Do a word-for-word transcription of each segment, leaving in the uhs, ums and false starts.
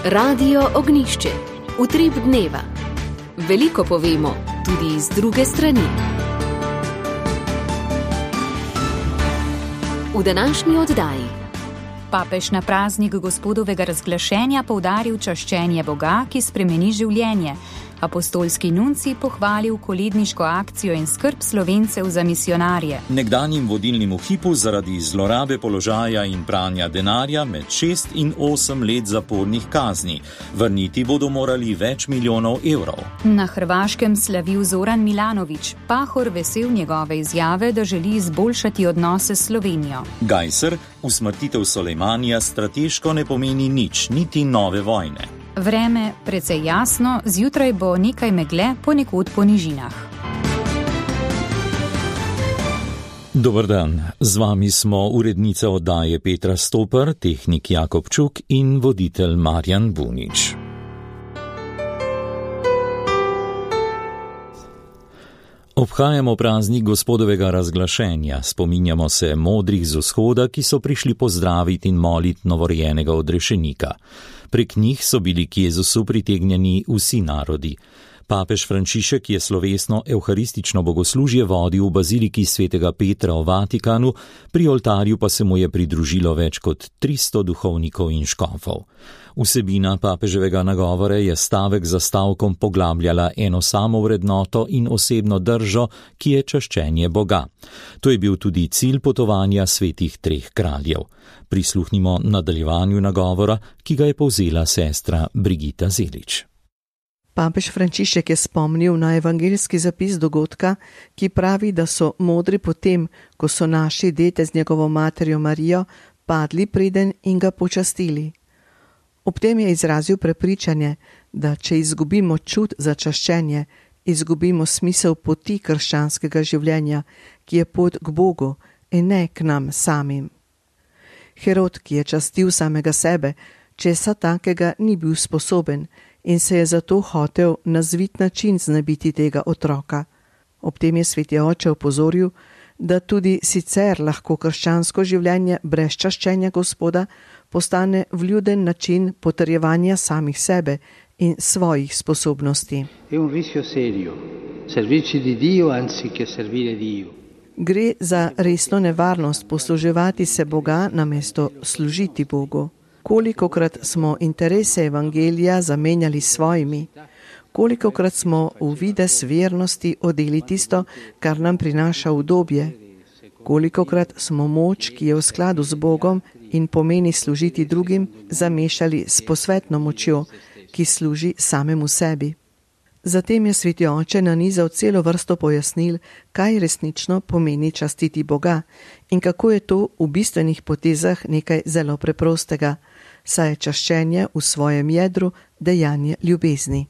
Radio Ognjišče, utrip dneva. Veliko povemo, tudi iz druge strani. V današnji oddaji. Papež na praznik Gospodovega razglašenja poudaril čaščenje Boga, ki spremeni življenje. Apostolski nuncij pohvalil koledniško akcijo in skrb Slovencev za misijonarje. Nekdanjim vodilnim v hipu zaradi zlorabe položaja in pranja denarja med šest in osem let zapornih kazni. Vrniti bodo morali več milijonov evrov. Na Hrvaškem slavil Zoran Milanović, Pahor vesel njegove izjave, da želi izboljšati odnose s Slovenijo. Gajser, usmrtitev Sulejmanija strateško ne pomeni nič, niti nove vojne. Vreme precej jasno, zjutraj bo nekaj megle, ponekod po nižinah. Dober dan, z vami smo urednica oddaje Petra Stopar, tehnik Jakob Čuk in voditelj Marjan Bunič. Obhajamo praznik Gospodovega razglašenja, spominjamo se modrih z vzhoda, ki so prišli pozdraviti in moliti novorojenega odrešenika. Prek njih so bili k Jezusu pritegnjeni vsi narodi. Papež Frančišek je slovesno evharistično bogoslužje vodil v baziliki svetega Petra v Vatikanu, pri oltarju pa se mu je pridružilo več kot tristo duhovnikov in škofov. Vsebina papeževega nagovora je stavek za stavkom poglabljala eno samo vrednoto in osebno držo, ki je čaščenje Boga. To je bil tudi cilj potovanja svetih treh kraljev. Prisluhnimo nadaljevanju nagovora, ki ga je povzela sestra Brigita Zelič. Papež Frančišek je spomnil na evangeljski zapis dogodka, ki pravi, da so modri potem, ko so naši dete z njegovo materjo Marijo padli preden in ga počastili. Ob tem je izrazil prepričanje, da če izgubimo čut za čaščenje, izgubimo smisel poti krščanskega življenja, ki je pot k Bogu in ne k nam samim. Herod, ki je častil samega sebe, česa takega ni bil sposoben in se je zato hotel na zvit način znebiti tega otroka. Ob tem je sveti oče opozoril, da tudi sicer lahko krščansko življenje brez čaščenja Gospoda postane vljuden način potrjevanja samih sebe in svojih sposobnosti. È un rischio serio, servirci di Dio anziché servire Dio. Gre za resno nevarnost posluževati se Boga namesto služiti Bogu. Kolikokrat smo interese evangelija zamenjali s svojimi, kolikokrat smo v vides vernosti odeli tisto, kar nam prinaša udobje, kolikokrat smo moč, ki je v skladu z Bogom in pomeni služiti drugim, zamešali s posvetno močjo, ki služi samemu sebi. Zatem je sveti oče nanizal celo vrsto pojasnil, kaj resnično pomeni častiti Boga in kako je to v bistvenih potezah nekaj zelo preprostega, saj je čaščenje v svojem jedru dejanje ljubezni.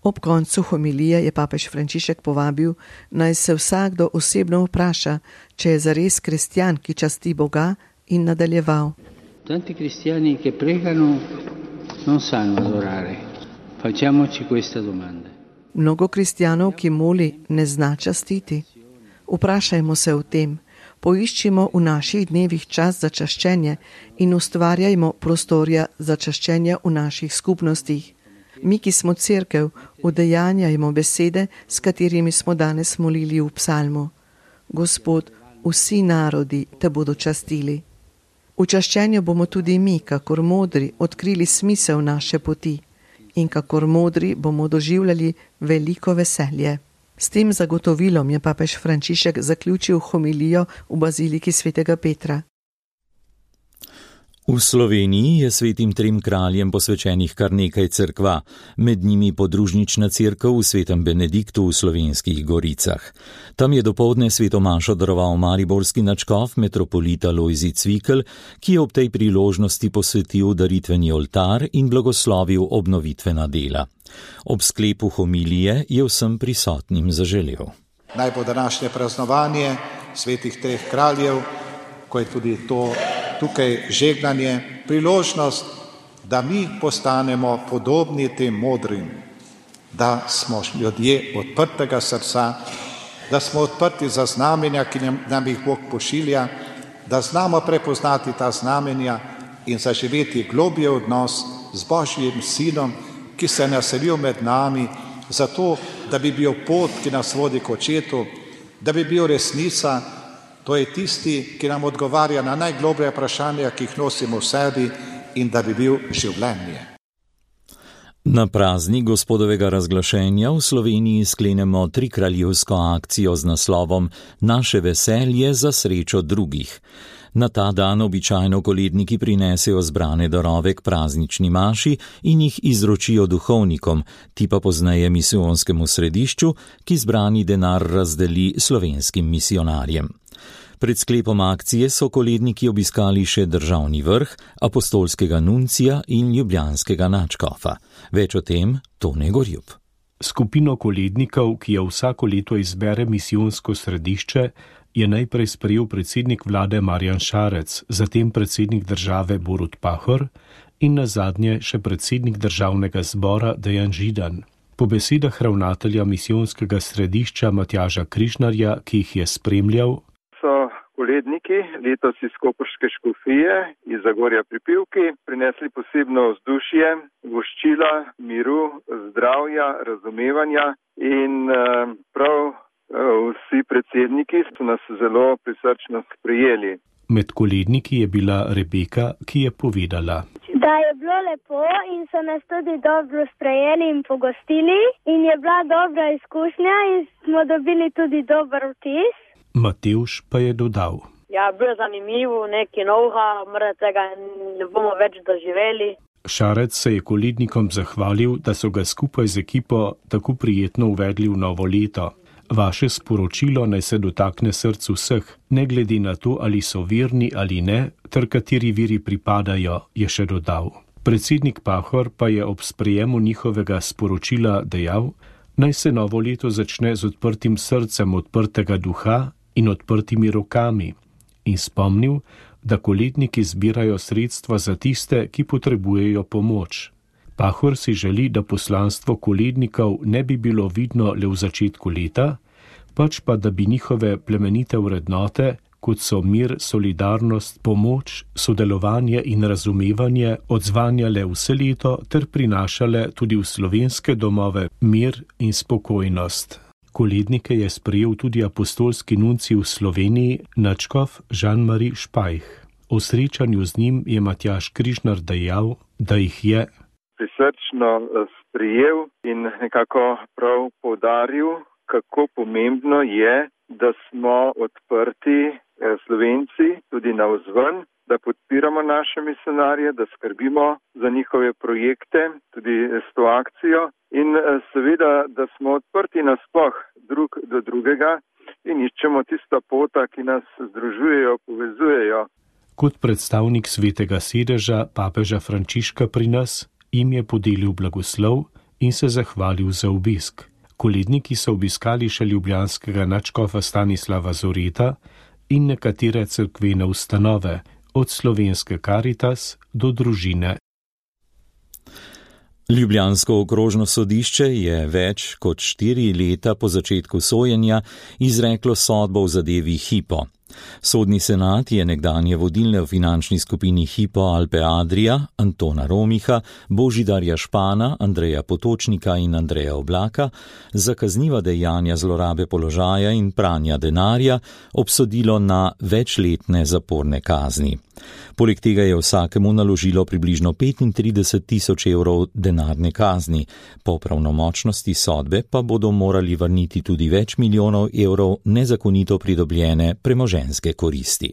Ob koncu homilije je papež Frančišek povabil, naj se vsakdo osebno vpraša, če je zares kristjan, ki časti Boga, in nadaljeval. Tanti kristjani, ki pregano, non sanno adorare. Facciamoci questa domanda. Mnogo kristjanov, ki moli, ne zna častiti. Vprašajmo se o tem, poiščimo v naših dnevih čas za čaščenje in ustvarjajmo prostorja za čaščenje v naših skupnostih. Mi, ki smo cerkev, udejanjajmo besede, s katerimi smo danes molili v psalmu. Gospod, vsi narodi te bodo častili. V čaščenju bomo tudi mi, kakor modri, odkrili smisel naše poti in kakor modri bomo doživljali veliko veselje. S tem zagotovilom je papež Frančišek zaključil homilijo v baziliki svetega Petra. V Sloveniji je svetim trem kraljem posvečenih kar nekaj cerkva, med njimi podružnična cerkev v svetem Benediktu v Slovenskih Goricah. Tam je dopoldne sveto mašo daroval mariborski nadškof metropolita Lojzij Cvikl, ki je ob tej priložnosti posvetil daritveni oltar in blagoslovil obnovitvena dela. Ob sklepu homilije je vsem prisotnim zaželel. Naj bo današnje praznovanje svetih treh kraljev, ko je tudi to tukaj žegnanje, priložnost, da mi postanemo podobni tem modrim, da smo ljudje odprtega srca, da smo odprti za znamenja, ki nam jih Bog pošilja, da znamo prepoznati ta znamenja in zaživeti globje odnos z Božjim sinom, ki se je naselil med nami, zato, da bi bil pot, ki nas vodi k očetu, da bi bil resnica, to je tisti, ki nam odgovarja na najgloblje vprašanja, ki jih nosimo v sebi, in da bi bil življenje. Na praznik Gospodovega razglašenja v Sloveniji sklenemo trikraljevsko akcijo z naslovom Naše veselje za srečo drugih. Na ta dan običajno koledniki prinesejo zbrane darove k praznični maši in jih izročijo duhovnikom, ti pa pozneje misijonskemu središču, ki zbrani denar razdeli slovenskim misionarjem. Pred sklepom akcije so koledniki obiskali še državni vrh, apostolskega nuncija in ljubljanskega nadškofa. Več o tem Tone Gorjup. Skupino kolednikov, ki jo vsako leto izbere misijonsko središče, je najprej sprejel predsednik vlade Marjan Šarec, zatem predsednik države Borut Pahor in nazadnje še predsednik državnega zbora Dejan Židan. Po besedah ravnatelja misijonskega središča Matjaža Križnarja, ki jih je spremljal, so koledniki letos iz koprške škofije iz Zagorja pri Pivki prinesli posebno vzdušje, voščila, miru, zdravja, razumevanja in prav vsi predsedniki so nas zelo prisrčno sprejeli. Med koledniki je bila Rebeka, ki je povedala, da je bilo lepo in so nas tudi dobro sprejeli in pogostili in je bila dobra izkušnja in smo dobili tudi dober vtis. Matevž pa je dodal. Ja, bilo je zanimivo, nekaj novega, morda tega ne bomo več doživeli. Šarec se je kolednikom zahvalil, da so ga skupaj z ekipo tako prijetno uvedli v novo leto. Vaše sporočilo naj se dotakne srcu vseh, ne glede na to, ali so verni ali ne, ter kateri veri pripadajo, je še dodal. Predsednik Pahor pa je ob sprejemu njihovega sporočila dejal, naj se novo leto začne z odprtim srcem odprtega duha in odprtimi rokami, in spomnil, da koledniki zbirajo sredstva za tiste, ki potrebujejo pomoč. Pahor si želi, da poslanstvo kolednikov ne bi bilo vidno le v začetku leta, pač pa da bi njihove plemenite vrednote, kot so mir, solidarnost, pomoč, sodelovanje in razumevanje, odzvanjale vse leto ter prinašale tudi v slovenske domove mir in spokojnost. Kolednike je sprejel tudi apostolski nuncij v Sloveniji, nadškof Jean-Marie Špajh. O srečanju z njim je Matjaž Križnar dejal, da jih je prisrčno sprejel in nekako prav poudaril, kako pomembno je, da smo odprti Slovenci tudi navzven, da podpiramo naše misionarje, da skrbimo za njihove projekte, tudi s to akcijo in seveda, da smo odprti nasploh drug do drugega in iščemo tista pota, ki nas združujejo, povezujejo. Kot predstavnik svetega sedeža papeža Frančiška pri nas, jim je podelil blagoslov in se zahvalil za obisk. Koledniki so obiskali še ljubljanskega nadškofa Stanislava Zoreta in nekatere cerkvene ustanove, od Slovenske Karitas do družine. Ljubljansko okrožno sodišče je več kot štiri leta po začetku sojenja izreklo sodbo v zadevi Hypo. Sodni senat je nekdanje vodilne v finančni skupini Hypo Alpe Adria, Antona Romiha, Božidarja Špana, Andreja Potočnika in Andreja Oblaka za kazniva dejanja zlorabe položaja in pranja denarja obsodilo na večletne zaporne kazni. Poleg tega je vsakemu naložilo približno petintrideset tisoč evrov denarne kazni. Po pravnomočnosti sodbe pa bodo morali vrniti tudi več milijonov evrov nezakonito pridobljene premoženjske koristi.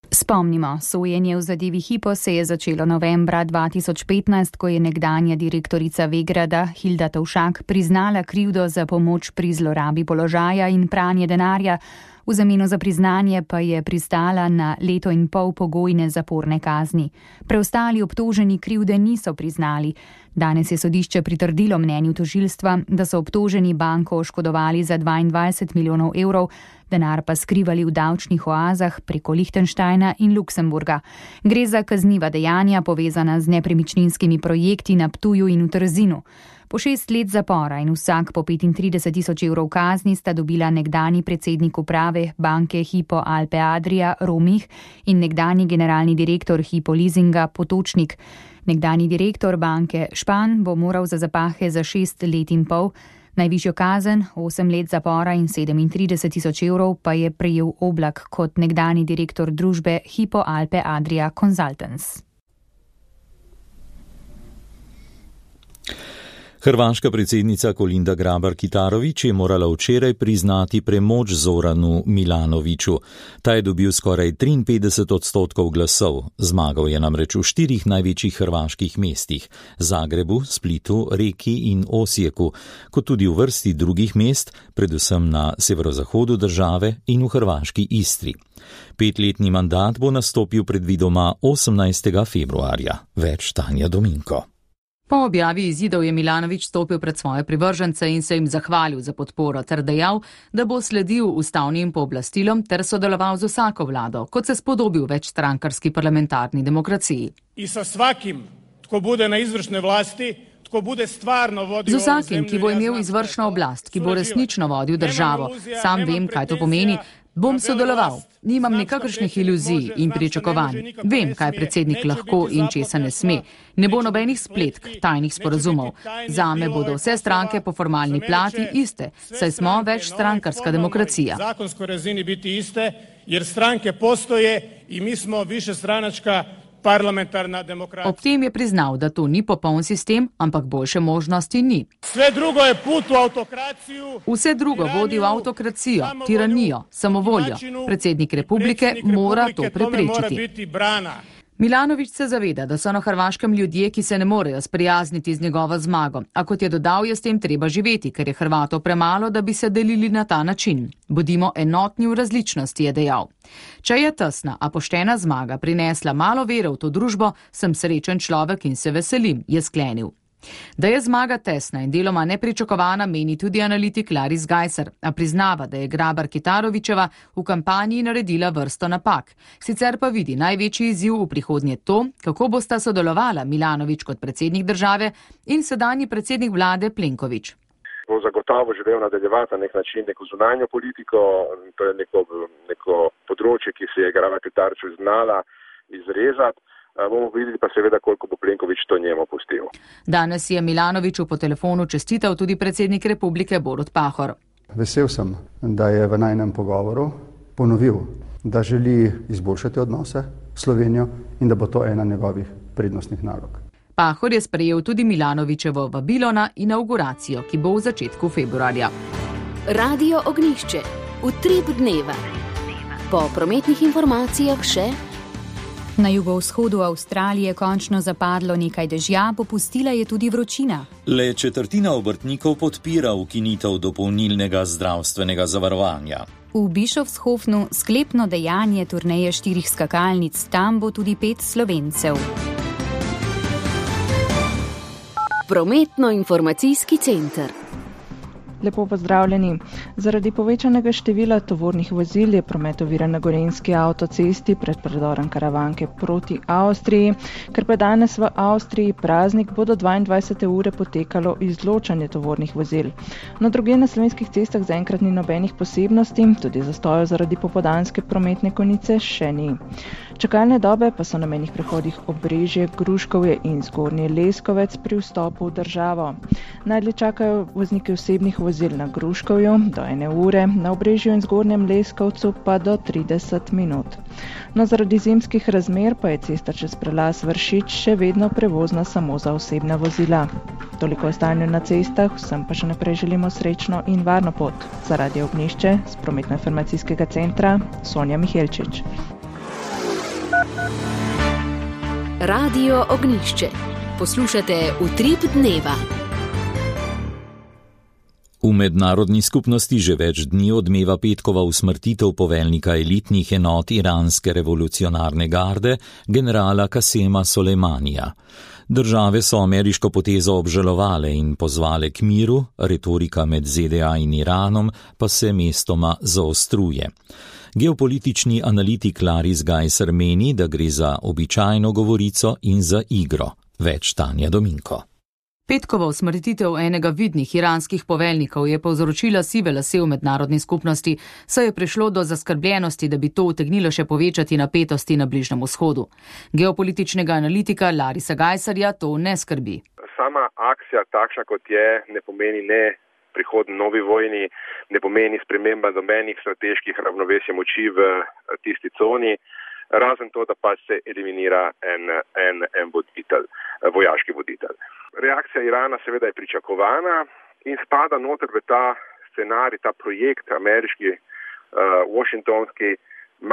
Spomnimo, sojenje v zadevi Hypo se je začelo novembra dva tisoč petnajst, ko je nekdanja direktorica Vegrada Hilda Tovšak priznala krivdo za pomoč pri zlorabi položaja in pranje denarja, v zameno za priznanje pa je pristala na leto in pol pogojne zaporne kazni. Preostali obtoženi krivde niso priznali. Danes je sodišče pritrdilo mnenju tožilstva, da so obtoženi banko oškodovali za dvaindvajset milijonov evrov, denar pa skrivali v davčnih oazah preko Lichtensteina in Luksemburga. Gre za kazniva dejanja povezana z nepremičninskimi projekti na Ptuju in v Trzinu. Po šest let zapora in vsak po petintrideset tisoč evrov kazni sta dobila nekdani predsednik uprave banke Hypo Alpe Adria Romih in nekdani generalni direktor Hypo Leasinga Potočnik. Nekdani direktor banke Špan bo moral za zapahe za šest let in pol, najvišjo kazen, osem let zapora in sedemintrideset tisoč evrov pa je prejel Oblak kot nekdani direktor družbe Hypo Alpe Adria Consultants. Hrvaška predsednica Kolinda Grabar-Kitarović je morala včeraj priznati premoč Zoranu Milanoviću. Ta je dobil skoraj triinpetdeset odstotkov glasov. Zmagal je namreč v štirih največjih hrvaških mestih: Zagrebu, Splitu, Reki in Osijeku, kot tudi v vrsti drugih mest, predvsem na severozahodu države in v hrvaški Istri. Petletni mandat bo nastopil predvidoma osemnajstega februarja. Več Tanja Dominko. Po objavi izidov je Milanović stopil pred svoje privržence in se jim zahvalil za podporo ter dejal, da bo sledil ustavnim pooblastilom ter sodeloval z vsako vlado, kot se spodobi v večstrankarski parlamentarni demokraciji. I sa svakim, tko bude na izvršne vlasti, tko bude stvarno vodio z vsakim, ki bo imel izvršno oblast, ki bo resnično vodil državo, sam vem, kaj to pomeni, bom sodeloval. Nimam nikakršnih iluzij in pričakovanj. Vem, kaj predsednik lahko in česa ne sme. Ne bo nobenih spletk, tajnih sporazumov. Zame bodo vse stranke po formalni plati iste, saj smo večstrankarska demokracija. Zakonskoj razini biti iste, jer stranke postoje i mi smo višestranačka parlamentarna demokracija. Ob tem je priznal, da to ni popoln sistem, ampak boljše možnosti ni. Sve drugo je put v autokraciju. Vse drugo vodi v autokracijo, tiranijo, samovoljo. Predsednik republike mora to preprečiti. Milanović se zaveda, da so na Hrvaškem ljudje, ki se ne morejo sprijazniti z njegovo zmago, a kot je dodal, je s tem treba živeti, ker je Hrvatov premalo, da bi se delili na ta način. Bodimo enotni v različnosti, je dejal. Če je tesna, a poštena zmaga prinesla malo vere v to družbo, sem srečen človek in se veselim, je sklenil. Da je zmaga tesna in deloma nepričakovana, meni tudi analitik Laris Gajser, a priznava, da je Grabar-Kitarovićeva v kampanji naredila vrsto napak. Sicer pa vidi največji izziv v prihodnje to, kako bosta sodelovala Milanović kot predsednik države in sedanji predsednik vlade Plenković. Bo zagotovo želel nadaljevati na nek način neko zunanjo politiko, to je neko, neko področje, ki se je Grabar-Kitarović znala izrezati. Bomo videli pa seveda, koliko bo Plenković to njemu pustil. Danes je Milanoviću po telefonu čestital tudi predsednik republike Borut Pahor. Vesel sem, da je v najnem pogovoru ponovil, da želi izboljšati odnose s Slovenijo in da bo to ena njegovih prednostnih nalog. Pahor je sprejel tudi Milanovićevo vabilo na inauguracijo, ki bo v začetku februarja. Radio Ognjišče. Utrip dneva. Po prometnih informacijah še. Na jugovzhodu Avstralije končno zapadlo nekaj dežja, popustila je tudi vročina. Le četrtina obrtnikov podpira ukinitev dopolnilnega zdravstvenega zavarovanja. V Bischofshofnu sklepno dejanje turneje štirih skakalnic, tam bo tudi pet Slovencev. Prometno-informacijski center. Lepo pozdravljeni. Zaradi povečanega števila tovornih vozil je promet oviran na Gorenjski avtocesti pred predorom Karavanke proti Avstriji. Ker pa danes v Avstriji praznik, bo do dvaindvajsete ure potekalo izločanje tovornih vozil. Na drugje na slovenskih cestah zaenkrat ni nobenih posebnosti, tudi zastojev zaradi popoldanske prometne konice še ni. Čakalne dobe pa so na mejnih prehodih Obrežje, Gruškovje in Zgornji Leskovec pri vstopu v državo. Najdlje čakajo vozniki osebnih vozil na Gruškovju do ene ure, na Obrežju in Zgornjem Leskovcu pa do trideset minut. No, zaradi zimskih razmer pa je cesta čez prelaz Vršič še vedno prevozna samo za osebna vozila. Toliko o stanju na cestah, vsem pa še naprej želimo srečno in varno pot. Za Radio Ognjišče z prometno-informacijskega centra Sonja Mihelčič. Radio Ognjišče. Poslušate Utrip dneva. V mednarodni skupnosti že več dni odmeva petkova usmrtitev poveljnika elitnih enot iranske revolucionarne garde, generala Kasema Soleimanija. Države so ameriško potezo obžalovale in pozvale k miru, retorika med Z D A in Iranom pa se mestoma zaostruje. Geopolitični analitik Laris Gajser meni, da gre za običajno govorico in za igro. Več Tanja Dominko. Petkova usmrtitev enega vidnih iranskih poveljnikov je povzročila sive lase v mednarodni skupnosti, saj je prišlo do zaskrbljenosti, da bi to utegnilo še povečati napetosti na Bližnjem vzhodu. Geopolitičnega analitika Larisa Gajserja to ne skrbi. Sama akcija takšna kot je ne pomeni ne prihod novi vojni, ne pomeni sprememba nobenih strateških ravnovesij moči v tisti coni, razen to, da pa se eliminira en, en, en voditelj, vojaški voditelj. Reakcija Irana seveda je pričakovana in spada noter v ta scenarij, ta projekt ameriški, uh, washingtonski,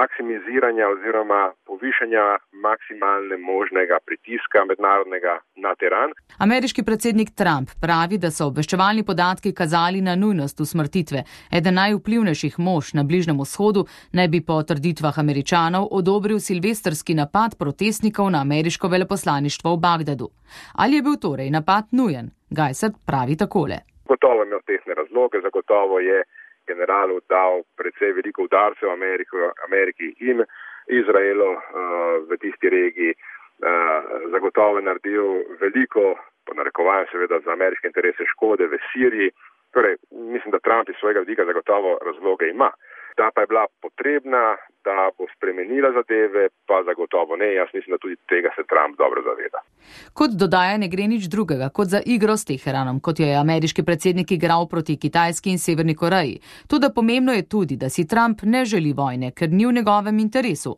maksimiziranja oziroma povišanja maksimalne možnega pritiska mednarodnega na Teheran. Ameriški predsednik Trump pravi, da so obveščevalni podatki kazali na nujnost usmrtitve. Eden najvplivnejših mož na Bližnjem vzhodu naj bi po trditvah Američanov odobril silvestrski napad protestnikov na ameriško veleposlaništvo v Bagdadu. Ali je bil torej napad nujen? Gajser pravi takole. Gotovo imel tehne razloge, zagotovo je generalu dal precej veliko udarcev Ameriko, Ameriki in Izraelu uh, v tisti regiji. Uh, zagotovo je naredil veliko, po narekovanju seveda za ameriške interese, škode v Siriji. Torej, mislim, da Trump iz svojega vidika zagotovo razloge ima. Da pa je bila potrebna, da bo spremenila zadeve, pa zagotovo ne. Jaz mislim, da tudi tega se Trump dobro zaveda. Kot dodaja, ne gre nič drugega kot za igro s Teheranom, kot jo je ameriški predsednik igral proti Kitajski in Severni Koreji. Toda pomembno je tudi, da si Trump ne želi vojne, ker ni v njegovem interesu.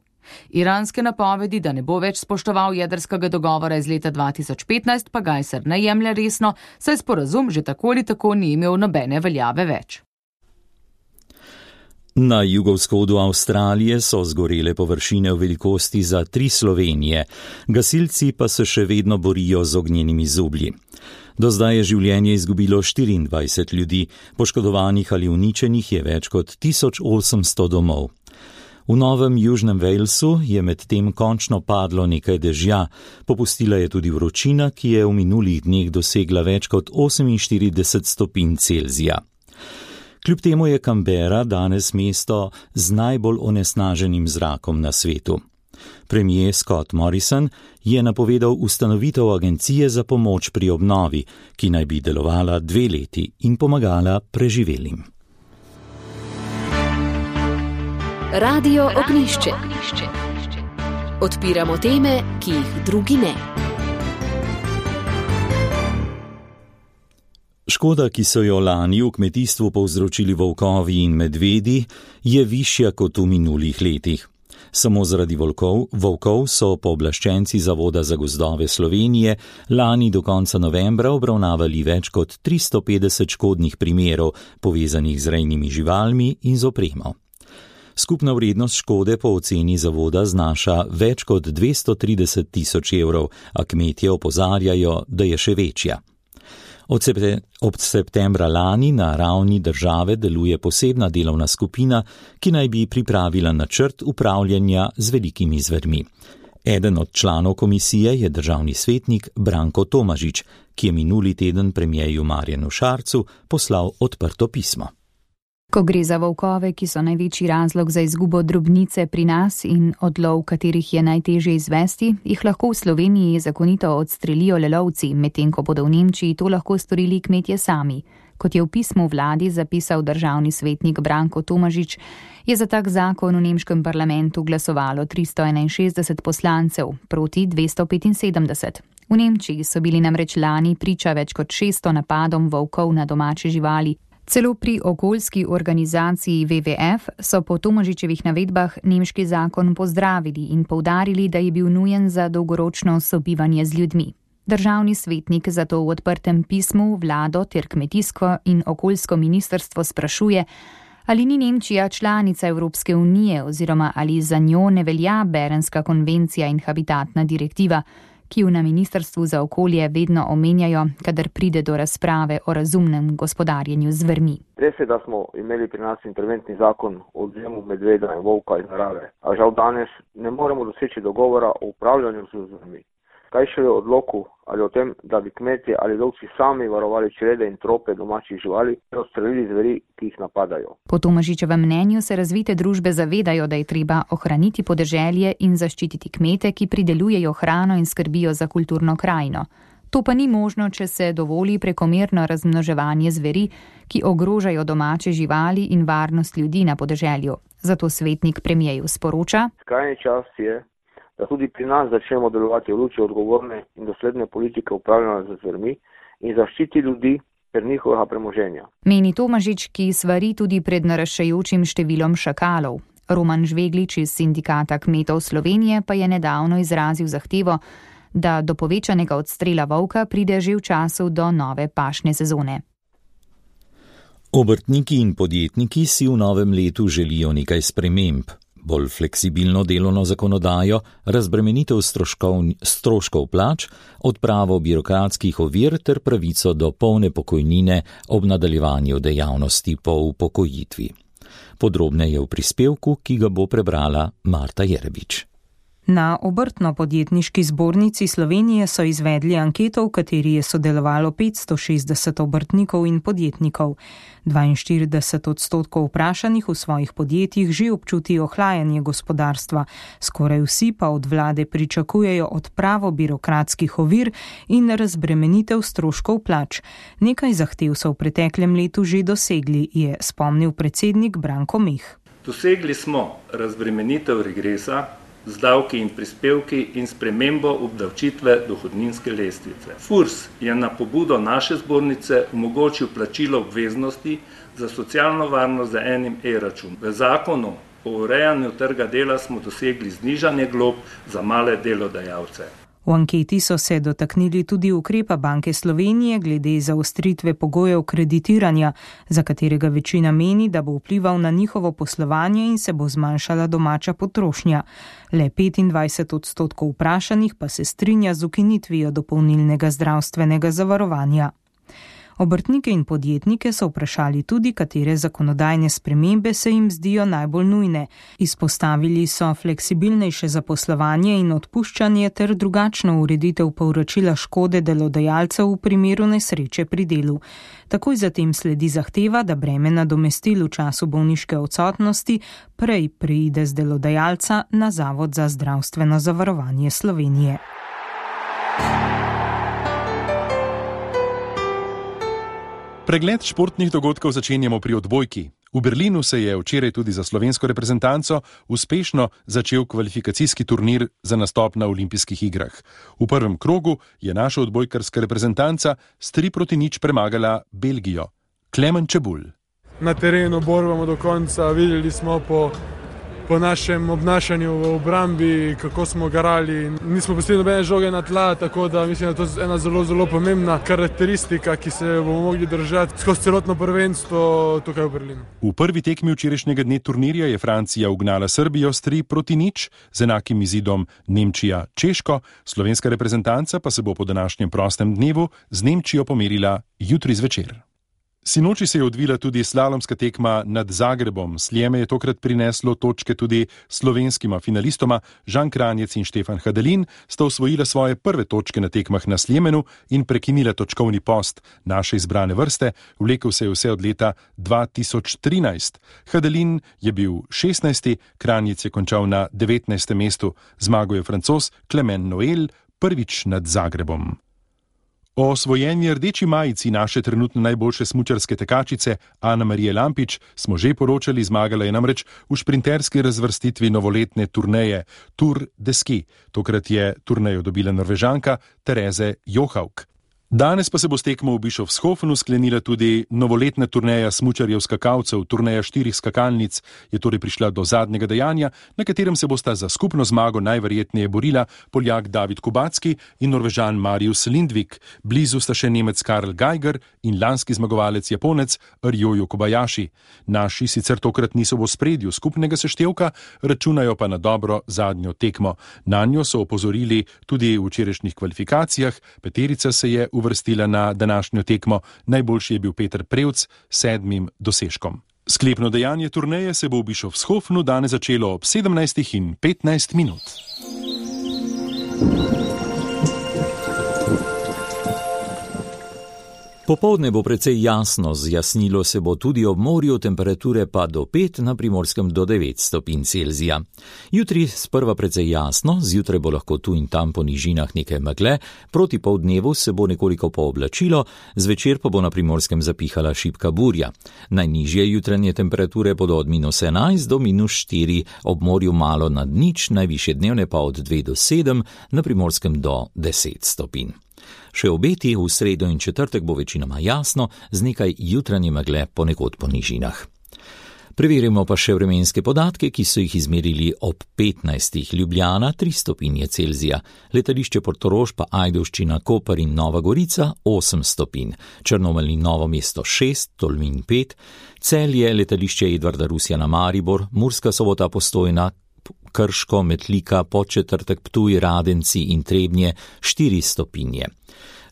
Iranske napovedi, da ne bo več spoštoval jedrskega dogovora iz leta dva tisoč petnajst, pa Gajser ne jemlje resno, saj sporazum že tako ali tako ni imel nobene veljave več. Na jugovzhodu Avstralije so zgorele površine v velikosti za tri Slovenije, gasilci pa se še vedno borijo z ognjenimi zublji. Do zdaj je življenje izgubilo štiriindvajset ljudi, poškodovanih ali uničenih je več kot tisoč osemsto domov. V Novem Južnem Walesu je medtem končno padlo nekaj dežja, popustila je tudi vročina, ki je v minulih dneh dosegla več kot oseminštirideset stopinj Celzija. Kljub temu je Canberra danes mesto z najbolj onesnaženim zrakom na svetu. Premier Scott Morrison je napovedal ustanovitev agencije za pomoč pri obnovi, ki naj bi delovala dve leti in pomagala preživelim. Radio Ognjišče. Odpiramo teme, ki jih drugi ne. Škoda, ki so jo lani v kmetijstvu povzročili volkovi in medvedi, je višja kot v minulih letih. Samo zaradi volkov, volkov so pooblaščenci Zavoda za gozdove Slovenije lani do konca novembra obravnavali več kot tristo petdeset škodnih primerov, povezanih z rejnimi živalmi in z opremo. Skupna vrednost škode po oceni zavoda znaša več kot dvesto trideset tisoč evrov, a kmetje opozarjajo, da je še večja. Od, septe, od septembra lani na ravni države deluje posebna delovna skupina, ki naj bi pripravila načrt upravljanja z velikimi zvermi. Eden od članov komisije je državni svetnik Branko Tomažič, ki je minuli teden premierju Marjanu Šarcu poslal odprto pismo. Ko gre za volkove, ki so največji razlog za izgubo drobnice pri nas in odlov, katerih je najtežje izvesti, jih lahko v Sloveniji zakonito odstrelijo le lovci, medtem ko bodo v Nemčiji to lahko storili kmetje sami. Kot je v pismu vladi zapisal državni svetnik Branko Tomažič, je za tak zakon v nemškem parlamentu glasovalo tristo enainšestdeset poslancev proti dvesto petinsedemdeset. V Nemčiji so bili namreč lani priča več kot šeststo napadom volkov na domače živali. Celo pri okoljski organizaciji W W F so po Tomažičevih navedbah nemški zakon pozdravili in poudarili, da je bil nujen za dolgoročno sobivanje z ljudmi. Državni svetnik zato v odprtem pismu vlado ter kmetijsko in okoljsko ministrstvo sprašuje, ali ni Nemčija članica Evropske unije oziroma ali za njo ne velja Berenska konvencija in habitatna direktiva, ki jo na Ministrstvu za okolje vedno omenjajo, kadar pride do razprave o razumnem gospodarjenju z zvermi. Res je, da smo imeli pri nas interventni zakon o odvzemu medveda in volka iz narave, a žal danes ne moremo doseči dogovora o upravljanju z zvermi. Kaj šele o odloku ali o tem, da bi kmetje ali lovci sami varovali črede in trope domačih živali in odstrelili zveri, ki jih napadajo. Po Tomažičevem mnenju se razvite družbe zavedajo, da je treba ohraniti podeželje in zaščititi kmete, ki pridelujejo hrano in skrbijo za kulturno krajino. To pa ni možno, če se dovoli prekomerno razmnoževanje zveri, ki ogrožajo domače živali in varnost ljudi na podeželju. Zato svetnik premijeju sporoča: Skrajni čas je, da tudi pri nas začnemo delovati v luči odgovorne in dosledne politike upravljanja z zvermi in zaščiti ljudi ter njihovega premoženja. Meni Tomažič, ki svari tudi pred naraščajočim številom šakalov. Roman Žveglič iz Sindikata kmetov Slovenije pa je nedavno izrazil zahtevo, da do povečanega odstrela volka pride že v času do nove pašne sezone. Obrtniki in podjetniki si v novem letu želijo nekaj sprememb. Bolj fleksibilno delovno zakonodajo, razbremenitev stroškov, stroškov plač, odpravo birokratskih ovir ter pravico do polne pokojnine ob nadaljevanju dejavnosti po upokojitvi. Podrobneje v prispevku, ki ga bo prebrala Marta Jerebič. Na Obrtno-podjetniški zbornici Slovenije so izvedli anketo, v kateri je sodelovalo petsto šestdeset obrtnikov in podjetnikov. dvainštirideset odstotkov vprašanih v svojih podjetjih že občuti ohlajanje gospodarstva, skoraj vsi pa od vlade pričakujejo odpravo birokratskih ovir in razbremenitev stroškov plač. Nekaj zahtev so v preteklem letu že dosegli, je spomnil predsednik Branko Meh. Dosegli smo razbremenitev regresa z davki in prispevki in spremembo obdavčitve dohodninske lestvice. FURS je na pobudo naše zbornice omogočil plačilo obveznosti za socialno varnost z enim e-račun. V zakonu o urejanju trga dela smo dosegli znižanje glob za male delodajalce. V anketi so se dotaknili tudi ukrepa Banke Slovenije glede zaostritve pogojev kreditiranja, za katerega večina meni, da bo vplival na njihovo poslovanje in se bo zmanjšala domača potrošnja. Le petindvajset odstotkov vprašanih pa se strinja z ukinitvijo dopolnilnega zdravstvenega zavarovanja. Obrtnike in podjetnike so vprašali tudi, katere zakonodajne spremembe se jim zdijo najbolj nujne. Izpostavili so fleksibilnejše zaposlovanje in odpuščanje ter drugačno ureditev povračila škode delodajalcev v primeru nesreče pri delu. Takoj zatem sledi zahteva, da breme nadomestil v času bolniške odsotnosti prej preide z delodajalca na Zavod za zdravstveno zavarovanje Slovenije. Pregled športnih dogodkov začenjamo pri odbojki. V Berlinu se je včeraj tudi za slovensko reprezentanco uspešno začel kvalifikacijski turnir za nastop na olimpijskih igrah. V prvem krogu je naša odbojkarska reprezentanca s tri proti nič premagala Belgijo. Klemen Čebulj. Na terenu borbamo do konca, videli smo po, po našem obnašanju v obrambi, kako smo garali. Nismo pustili nobene žoge na tla, tako da mislim, da je to ena zelo, zelo pomembna karakteristika, ki se bomo mogli držati skozi celotno prvenstvo tukaj v Berlinu. V prvi tekmi včerajšnjega dne turnirja je Francija ugnala Srbijo s tri proti nič, z enakim izidom Nemčija Češko, slovenska reprezentanca pa se bo po današnjem prostem dnevu z Nemčijo pomerila jutri zvečer. Sinoči se je odvila tudi slalomska tekma nad Zagrebom. Sljeme je tokrat prineslo točke tudi slovenskima finalistoma. Žan Kranjec in Štefan Hadelin sta osvojila svoje prve točke na tekmah na Sljemenu in prekinila točkovni post naše izbrane vrste. Vlekel se je vse od leta dva tisoč trinajst. Hadelin je bil šestnajsti, Kranjec je končal na devetnajstem mestu. Zmagal je Francoz Clement Noel, prvič nad Zagrebom. O osvojeni rdeči majici naše trenutno najboljše smučarske tekačice Ana Marije Lampič smo že poročali, zmagala je namreč v šprinterski razvrstitvi novoletne turneje Tour de Ski. Tokrat je turnejo dobila Norvežanka Tereze Johaug. Danes pa se bo s tekmo v Bischofshofenu sklenila tudi novoletna turneja smučarjev skakalcev. Turneja štirih skakalnic je torej prišla do zadnjega dejanja, na katerem se bosta za skupno zmago najverjetneje borila Poljak David Kubacki in Norvežan Marius Lindvik. Blizu sta še Nemec Karl Geiger in lanski zmagovalec Japonec Ryoyo Kobayashi. Naši sicer tokrat niso v ospredju skupnega seštevka, računajo pa na dobro zadnjo tekmo. Nanjo so opozorili tudi v včerajšnjih kvalifikacijah. Peterica se je uvrstila na današnjo tekmo, najboljši je bil Peter Prevc s sedmim dosežkom. Sklepno dejanje turneje se bo v Bischofshofenu danes začelo ob sedemnajstih in petnajst minut. Popoldne bo precej jasno, zjasnilo se bo tudi ob morju, temperature pa do pet, na Primorskem do devet stopinj Celzija. Jutri sprva precej jasno, zjutraj bo lahko tu in tam po nižinah nekaj megle, proti poldnevu se bo nekoliko pooblačilo, zvečer pa bo na Primorskem zapihala šibka burja. Najnižje jutranje temperature bodo od minus enajst do minus štiri, ob morju malo nad nič, najvišje dnevne pa od dve do sedem, na Primorskem do deset stopinj. Še obeti v sredo in četrtek bo večinoma jasno, z nekaj jutranje megle ponekod po nižinah. Preverimo pa še vremenske podatke, ki so jih izmerili ob petnajstih. Ljubljana tri stopinje Celzija, letališče Portorož pa Ajdovščina, Koper in Nova Gorica osem stopinj, Črnomelj in Novo mesto šest, Tolmin pet, Celje, letališče Edvarda Rusjana Maribor, Murska Sobota Postojna, Krško, Metlika, Podčetrtek, Ptuj, Radenci in Trebnje štiri stopinje.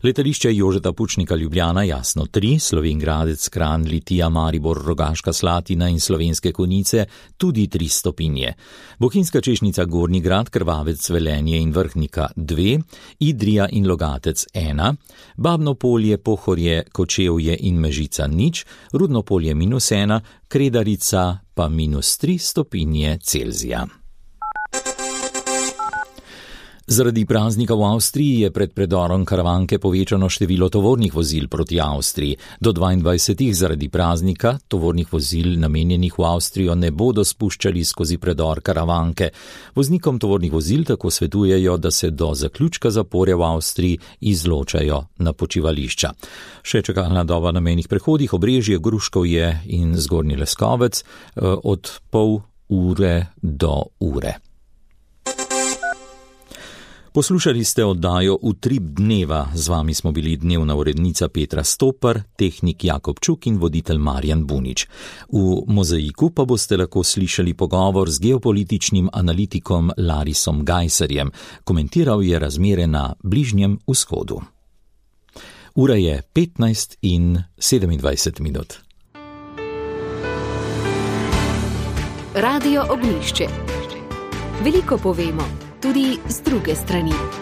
Letališče Jožeta Pučnika Ljubljana jasno tri, Slovenjgradec, Kranj, Litija, Maribor, Rogaška Slatina in Slovenske Konjice tudi tri stopinje. Bohinjska Češnica, Gornji Grad, Krvavec, Velenje in Vrhnika dve, Idrija in Logatec ena, Babno Polje, Pohorje, Kočevje in Mežica nič, Rudno Polje minus ena, Kredarica pa minus tri stopinje Celzija. Zaradi praznika v Avstriji je pred predorom Karavanke povečano število tovornih vozil proti Avstriji. Do dvaindvajsetih zaradi praznika tovornih vozil namenjenih v Avstrijo ne bodo spuščali skozi predor Karavanke. Voznikom tovornih vozil tako svetujejo, da se do zaključka zapore v Avstriji izločajo na počivališča. Še čakalna doba na mejnih prehodih Obrežje, Gruškovje in Zgornji Leskovec od pol ure do ure. Poslušali ste oddajo Utrip dneva, z vami smo bili dnevna urednica Petra Stopar, tehnik Jakob Čuk in voditelj Marjan Bunič. V Mozaiku pa boste lahko slišali pogovor z geopolitičnim analitikom Larisom Gajserjem. Komentiral je razmere na Bližnjem vzhodu. Ura je petnajst in sedemindvajset minut. Radio Ognjišče. Veliko povemo. Tudi z druge strani.